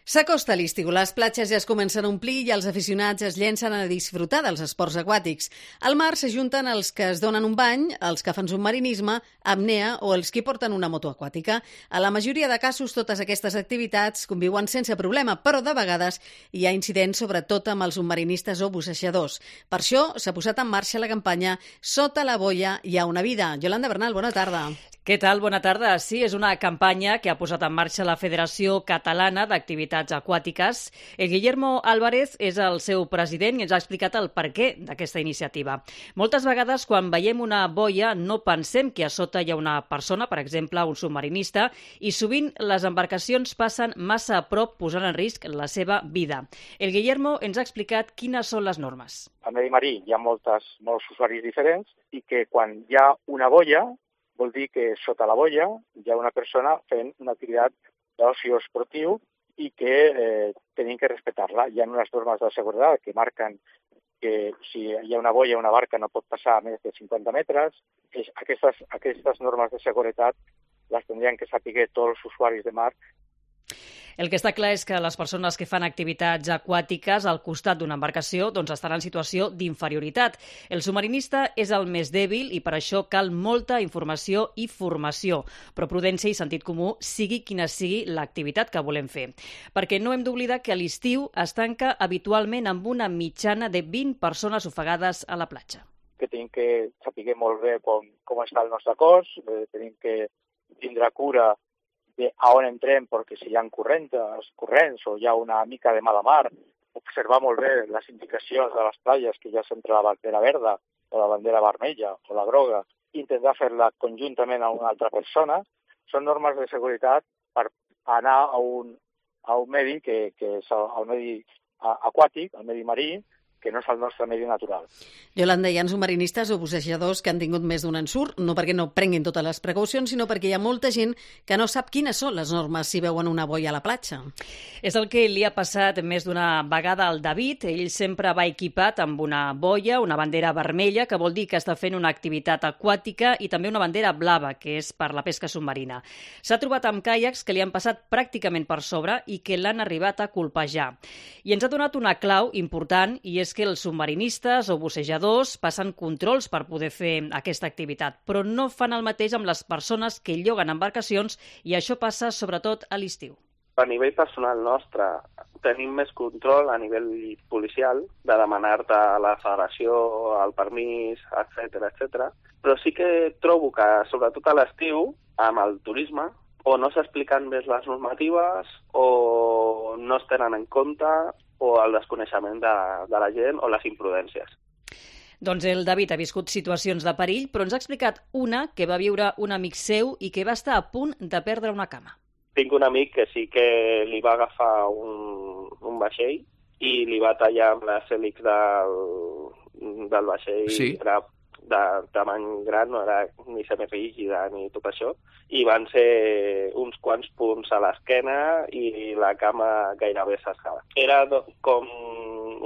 S'acosta l'estiu, les platges ja es comencen a omplir i els aficionats es llencen a disfrutar dels esports aquàtics. Al mar s'ajunten els que es donen un bany, els que fan submarinisme, apnea o els que porten una moto aquàtica. A la majoria de casos, totes aquestes activitats conviuen sense problema, però de vegades hi ha incidents, sobretot amb els submarinistes o bussejadors. Per això s'ha posat en marxa la campanya Sota la boia hi ha una vida. Yolanda Bernal, bona tarda. Què tal? Bona tarda. Sí, és una campanya que ha posat en marxa la Federació Catalana d'Activitats Aquàtiques. El Guillermo Álvarez és el seu president i ens ha explicat el perquè d'aquesta iniciativa. Moltes vegades, quan veiem una boia, no pensem que a sota hi ha una persona, per exemple, un submarinista, i sovint les embarcacions passen massa a prop, posant en risc la seva vida. El Guillermo ens ha explicat quines són les normes. Al medi marí hi ha molts usuaris diferents i que quan hi ha una boia, vol dir que sota la boia hi ha una persona fent una activitat d'oci esportiu i que tenim que respectar-la. Hi ha unes normes de seguretat que marquen que si hi ha una boia, una barca no pot passar a més de 50 metres. Aquestes normes de seguretat les tindrien que saber tots els usuaris de mar. El que està clar és que les persones que fan activitats aquàtiques al costat d'una embarcació estan en situació d'inferioritat. El submarinista és el més dèbil i per això cal molta informació i formació, però prudència i sentit comú sigui quina sigui l'activitat que volem fer. Perquè no hem d'oblidar que a l'estiu es tanca habitualment amb una mitjana de 20 persones ofegades a la platja. Que tenim que saber molt bé com està el nostre cos, tenim que tindre cura a on entrem, perquè si hi ha corrents o hi ha una mica de mala mar, observar molt bé les indicacions de les platges, que ja sempre la bandera verda o la bandera vermella o la groga, intentar fer-la conjuntament a una altra persona. Són normes de seguretat per anar a un medi que és el medi aquàtic, el medi marí, que no és el nostre medi natural. Yolanda, hi ha submarinistes o bussejadors que han tingut més d'un ensurt, no perquè no prenguin totes les precaucions, sinó perquè hi ha molta gent que no sap quines són les normes si veuen una boia a la platja. És el que li ha passat més d'una vegada al David. Ell sempre va equipat amb una boia, una bandera vermella, que vol dir que està fent una activitat aquàtica, i també una bandera blava, que és per la pesca submarina. S'ha trobat amb caiacs que li han passat pràcticament per sobre i que l'han arribat a colpejar. I ens ha donat una clau important, i és que els submarinistes o bussejadors passen controls per poder fer aquesta activitat, però no fan el mateix amb les persones que lloguen embarcacions, i això passa sobretot a l'estiu. A nivell personal nostre tenim més control a nivell policial de demanar-te a la federació el permís, etc. Però sí que trobo que, sobretot a l'estiu, amb el turisme, o no s'expliquen bé les normatives, o no es tenen en compte, o el desconeixement de la gent o les imprudències. Doncs el David ha viscut situacions de perill, però ens ha explicat una que va viure un amic seu i que va estar a punt de perdre una cama. Tinc un amic que sí que li va agafar un vaixell i li va tallar amb les hèlix del vaixell. Sí. Era de tamany gran, no era ni semirígida ni tot això, i van ser uns quants punts a l'esquena i la cama gairebé s'escala. Era com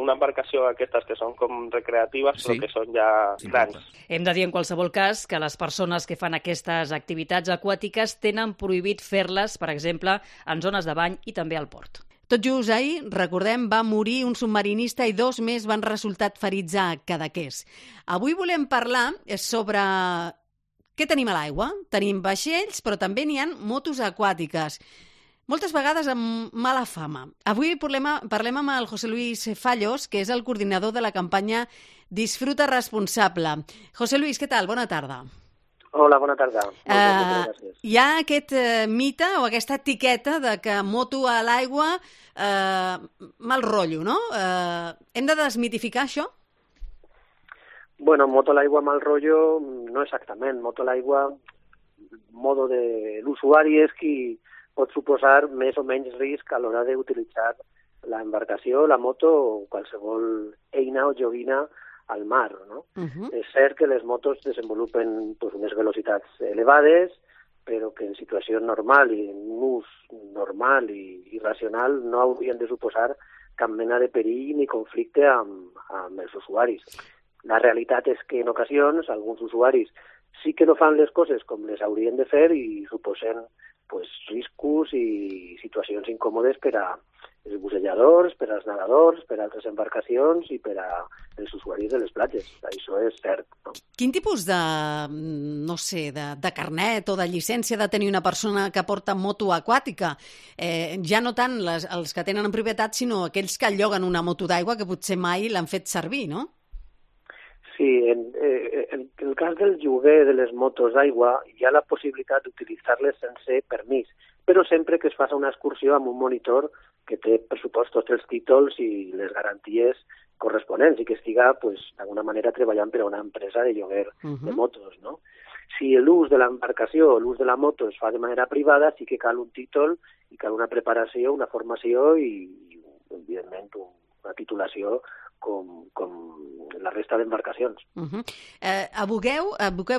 una embarcació aquestes que són com recreatives, sí, però que són ja grans. Hem de dir en qualsevol cas que les persones que fan aquestes activitats aquàtiques tenen prohibit fer-les, per exemple, en zones de bany i també al port. Tot just ahir, recordem, va morir un submarinista i 2 més van resultar ferits a Cadaqués. Avui volem parlar sobre què tenim a l'aigua. Tenim vaixells, però també n'hi ha motos aquàtiques, moltes vegades amb mala fama. Avui parlem amb el José Luis Fallos, que és el coordinador de la campanya Disfruta Responsable. José Luis, què tal? Bona tarda. Hola, bona tarda. Moltes gràcies. Hi ha aquest mite o aquesta etiqueta de que moto a l'aigua, mal rotllo, no? Hem de desmitificar això? Bueno, moto a l'aigua, mal rotllo, no exactament. Moto a l'aigua, modo de l'usuari és qui pot suposar més o menys risc a l'hora d'utilitzar l'embarcació, la moto o qualsevol eina o joguina al mar, no? És cert que les motos desenvolupen unes velocitats elevades, però que en situació normal i en ús normal i racional no haurien de suposar cap mena de perill ni conflicte amb els usuaris. La realitat és que en ocasions alguns usuaris sí que no fan les coses com les haurien de fer i suposen riscos i situacions incòmodes per els bussejadors, per als nedadors, per a altres embarcacions i per als usuaris de les platges. Això és cert. No? Quin tipus de, no sé, de carnet o de llicència ha de tenir una persona que porta moto aquàtica? Ja no tant els que tenen en propietat, sinó aquells que lloguen una moto d'aigua que potser mai l'han fet servir, no? Sí, en el cas del lloguer de les motos d'aigua hi ha la possibilitat d'utilitzar-les sense permís, però sempre que es faci una excursió amb un monitor que té, per supost, tots els títols i les garanties corresponents i que estiga, d'alguna manera, treballant per a una empresa de lloguer de motos, no? Si l'ús de l'embarcació o l'ús de la moto es fa de manera privada, sí que cal un títol i cal una preparació, una formació i evidentment, una titulació com la resta d'embarcacions. Abogueu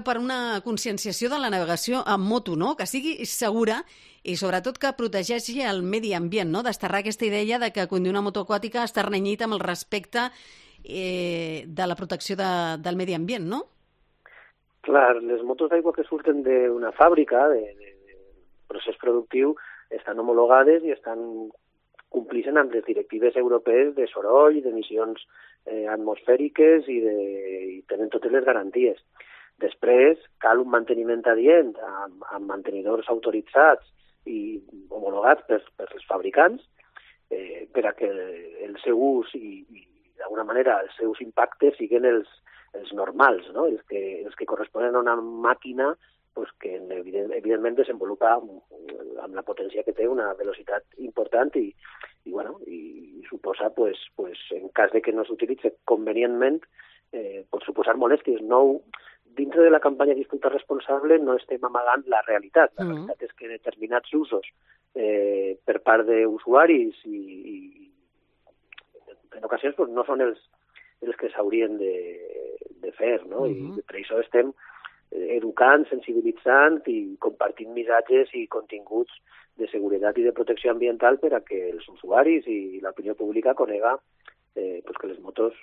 per una conscienciació de la navegació amb moto, no? Que sigui segura i sobretot que protegeixi el medi ambient, no? Desterrar aquesta idea de que conduir una moto aquàtica està renyit amb el respecte de la protecció del medi ambient, no? Clar, les motos d'aigua que surten d'una fàbrica, de procés productiu, estan homologades i complixen amb les directives europees de soroll, d'emissions atmosfèriques i tenen totes les garanties. Després, cal un manteniment adient amb mantenidors autoritzats i homologats per els fabricants per a que el seu ús i d'alguna manera els seus impactes siguin els normals, no? els que corresponen a una màquina que evidentment desenvolupa amb la potència que té una velocitat important i suposa, en cas de que no s'utilitzi convenientment, pot suposar molèsties. Dintre de la campanya Disfruta Responsable no estem amagant la realitat. La realitat és que determinats usos per part d'usuaris i en ocasions no són els que s'haurien de fer, no? I per això estem educant, sensibilitzant i compartint missatges i continguts de seguretat i de protecció ambiental per a que els usuaris i l'opinió pública conega que les motos,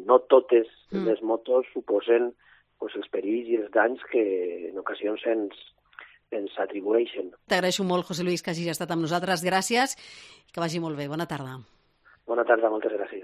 no totes les motos suposen els perills i els danys que en ocasions ens atribueixen. T'agraeixo molt, José Luis, que hagis estat amb nosaltres. Gràcies i que vagi molt bé. Bona tarda. Bona tarda, moltes gràcies.